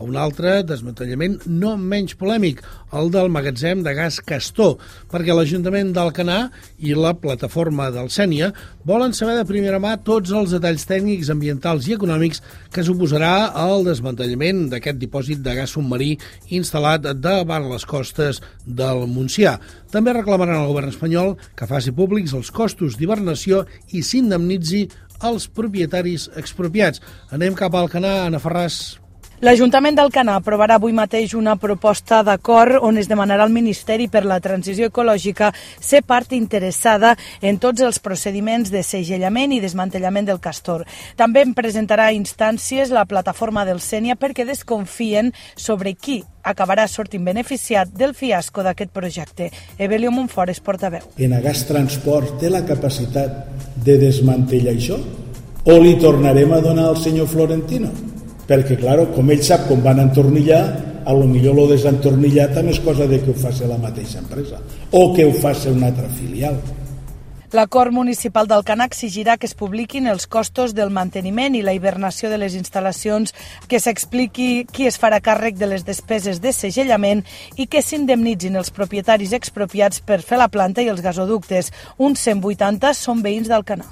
Un altre desmantellament no menys polèmic, el del magatzem de gas Castor, perquè l'Ajuntament d'Alcanar i la plataforma del Sénia volen saber de primera mà tots els detalls tècnics, ambientals i econòmics que suposarà el desmantellament d'aquest dipòsit de gas submarí instal·lat davant les costes del Montsià. També reclamaran al govern espanyol que faci públics els costos d'hibernació i s'indemnitzi els propietaris expropiats. Anem cap a Alcanar, Anna Ferràs. L'Ajuntament d'Alcanar aprovarà avui mateix una proposta d'acord on es demanarà al Ministeri per la Transició Ecològica ser part interessada en tots els procediments de segellament i desmantellament del castor. També en presentarà instàncies la plataforma del Sénia perquè desconfien sobre qui acabarà sortint beneficiat del fiasco d'aquest projecte. Evelio Montfort és portaveu. Enagás Transport té la capacitat de desmantellar això? O li tornarem a donar al senyor Florentino? Perquè, clar, com ell sap com van entornillar, a lo millor lo desentornillar també és cosa de que ho faci la mateixa empresa o que ho faci una altra filial. L'acord municipal d'Alcanar exigirà que es publiquin els costos del manteniment i la hibernació de les instal·lacions, que s'expliqui qui es farà càrrec de les despeses de segellament i que s'indemnitzin els propietaris expropiats per fer la planta i els gasoductes. Uns 180 són veïns d'Alcanar.